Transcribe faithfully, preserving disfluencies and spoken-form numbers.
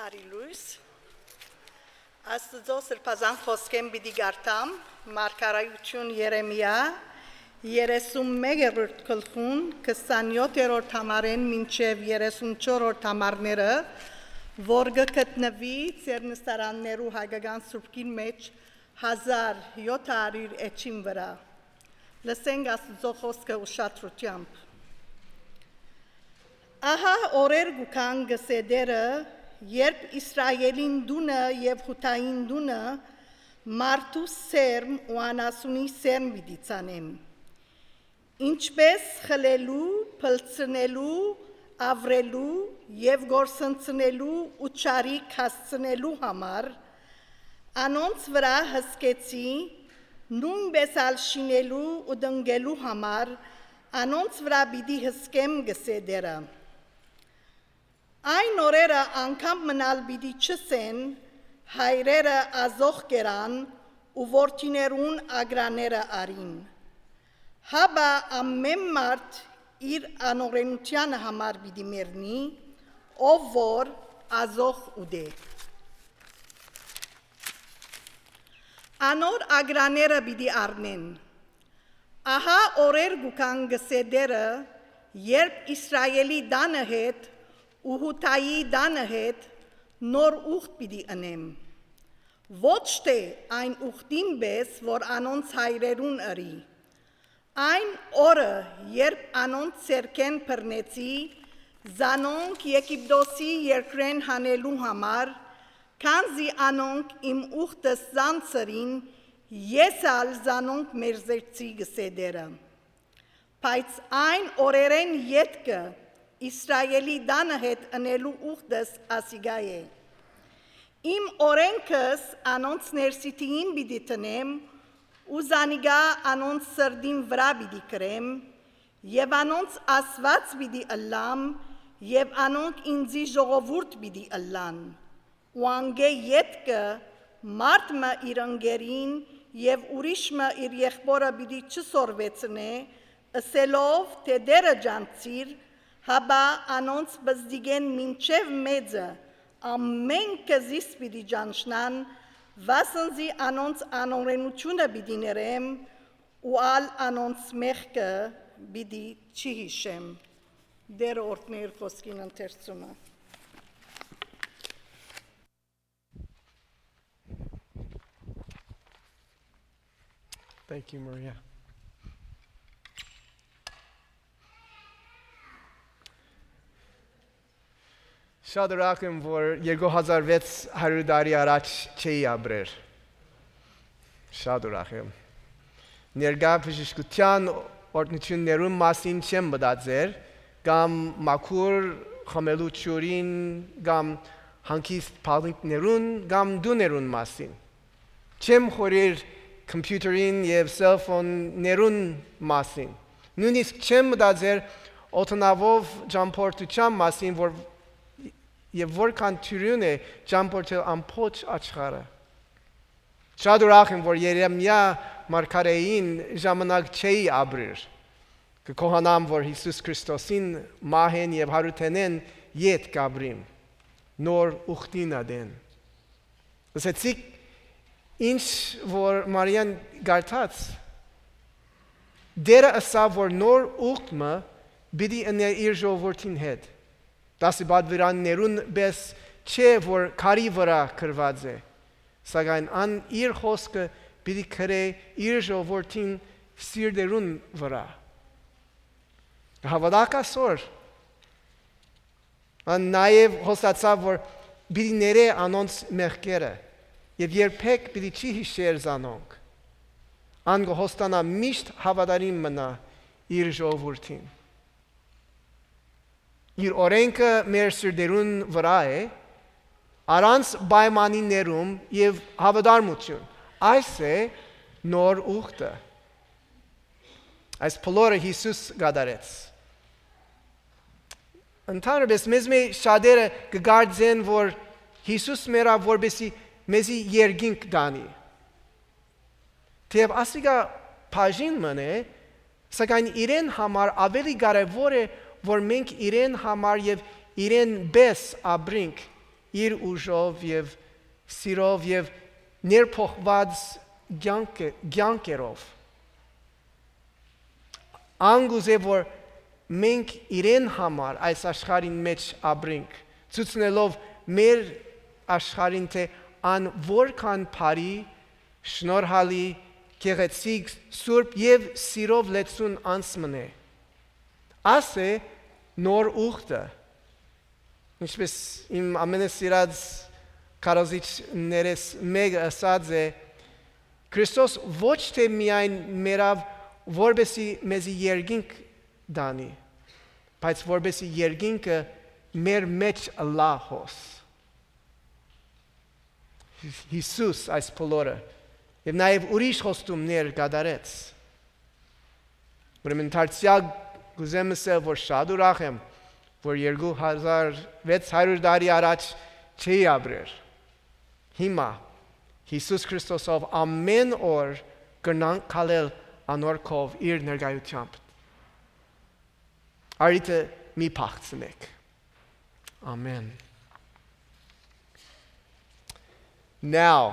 Բարի լոյս։ Աստուծոյ սրբազան խօսքէն պիտի կարդամ, մարգարէութիւն Երեմիա, երեսուն մեկերորդ գլխուն, քսանեօթերորդ համարէն մինչեւ երեսունչորսերորդ համարները, որ կը գտնուի ձեր նստարաններու հայկական սուրբքին մէջ հազար եթերորդ էջին վրայ։ Լսենք Աստուծոյ խօսքը ուշադրութեամբ։ Ահա օրեր կու գան, կ'ըսէ Տէրը, երբ Իսրայէլին տունը եւ Յուդային տունը մարդու սերմ ու անասունի սերմ պիտի ցանեմ, ինչպէս խլելու, փլցնելու, աւրելու եւ կորսնցնելու ու չարիք հասցնելու համար անոնց վրայ հսկեցի, նոյնպէս ալ շինելու ու տնկելու համար անոնց վրայ պիտի հսկեմ, կ'ըսէ Տէրը։ Այն օրերը անգամ մըն ալ պիտի չըսեն, հայրերը ազոխ կերան ու որդիներուն ագրանները առին։ Հապա ամէն մարդ իր անօրէնութեանը համար պիտի մեռնի, ով որ ազոխ ուտէ։ Անոր ագրանները պիտի առնեն։ Ահա օրեր կու գան, կ'ըսէ Տէրը, երբ Իսրայէլի տանը հետ ու Յուդայի տանը հետ նոր ուխտ պիտի ընեմ, ոչ թէ այն ուխտին պէս, որ անոնց հայրերուն ըրի։ Այն օրը, երբ անոնց ձեռքէն բռնեցի, զանոնք Եգիպտոսի երկրէն հանելու համար, քանզի անոնք իմ ուխտս զանց ըրին, ես ալ զանոնք մերժեցի, կ'ըսէ Տէրը։ Բայց այն օրերէն ետքը Իսրայէլի տանը հետ ընելու ուխտս ասիկա է։ Իմ օրէնքս անոնց ներսիդին պիտի դնեմ ու զանիկա անոնց սրտին վրայ պիտի գրեմ եւ անոնց Աստուած պիտի ըլլամ եւ անոնք ինծի ժողովուրդ պիտի ըլլան։ Ու անկէ ետքը մարդ մը իր ընկերին եւ ուրիշ մը իր եղբօրը պիտի չսորվեցնէ, ըսելով թէ Տէրը ճանչցիր, հապա անոնց պզտիկէն մինչեւ մեծը ամէնքը զիս պիտի ճանչնան, վասն զի անոնց անօրէնութիւնը պիտի ներեմ ու ալ անոնց մեղքը պիտի չի յիշեմ։ Տէրը օրհնէ իր խօսքին ընթերցումը։ Thank you, Maria. Շատ ուրախ եմ, որ երկու հազար վեց հարիւր տարի առաջ չէի ապրեր։ Շատ ուրախ եմ։ Ներկայ բժշկութեան օրհնութիւններուն մասին չեմ մտածեր, կամ մաքուր խմելու ջուրին, կամ հանգիստ բալինքներուն, կամ տուներուն մասին։ Չեմ խորհեր computer-ին եւ cell phone-ներուն մասին։ Նոյնիսկ չեմ մտածեր օդանաւով ճամբորդութեան մասին, որ, եւ որքան դիւրին է ճամբորդել ամբողջ աշխարհը։ Շատ ուրախ եմ, որ Երեմիա մարգարէին ժամանակ չէի ապրիր։ Կը գոհանամ, որ Յիսուս Քրիստոսին մահէն եւ յարութենէն յետ կ'ապրիմ, նոր ուխտին ատեն։ Լսեցիք, ինչ որ Մարիան կարդաց, Տէրը ըսաւ, որ նոր ուխտ մը պիտի ընէ իր ժողովուրդին հետ։ Դասի պատվիրաններուն պէս չէ, որ քարի վրայ գրուած է, սակայն ան իր խօսքը պիտի գրէ իր ժողովուրդին սիրտերուն վրայ։ Կը հաւատաք ասոր։ Ան նաեւ խոստացաւ, որ պիտի ներէ անոնց մեղքերը եւ երբեք պիտի չի յիշեր զանոնք։ Ան կը հոստանայ միշտ հաւատարիմ մնայ իր ժողովուրդին։ Իր օրէնքը մեր սիրտերուն վրայ է, առանց պայմանիներում եւ հաւատարմութիւն։ Այս է նոր ուխտը։ Այս բոլորը Յիսուս կատարեց։ Ընդհանրապես, մեզմէ շատերը կը կարծեն, որ Յիսուս մեռաւ, որպեսզի մեզի երկինք տանի։ Թէեւ ասիկա բաժին մըն է, սակայն իրեն համար աւելի կարեւոր է, որ մենք իրեն համար եւ իրեն պէս ապրինք, իր ուժով եւ սիրով եւ ներփոխուած կեանքը, կեանքերով։ Ան կ'ուզէ, որ մենք իրեն համար այս աշխարհին մէջ ապրենք, ցուցնելով մեր աշխարհին, թէ ան որքան բարի, շնորհալի, գեղեցիկ, սուրբ եւ սիրով լեցուն անձ մըն է։ Աս է նոր ուխտը, ինչպես իմ ամենասիրած քարոզիչներէս մէկը ըսած է. «Քրիստոս ոչ թէ միայն մեռաւ, որպեսզի մեզի երկինք տանի, բայց որպեսզի երկինքը մեր մէջ ըլլայ հոս»։ Յիսուս այս բոլորը եւ նաեւ ուրիշ խոստումներ կատարեց։ Ուրեմն դարձեալ կ'ուզեմ ըսել, որ շատ ուրախ եմ, որ երկու հազար վեց հարիւր տարի առաջ չէի ապրեր։ Հիմա Յիսուս Քրիստոսով ամէն օր կրնանք քալել անոր քով, իր ներկայութեամբ։ Արիթը մի փախցնեք։ Ամեն։ Now,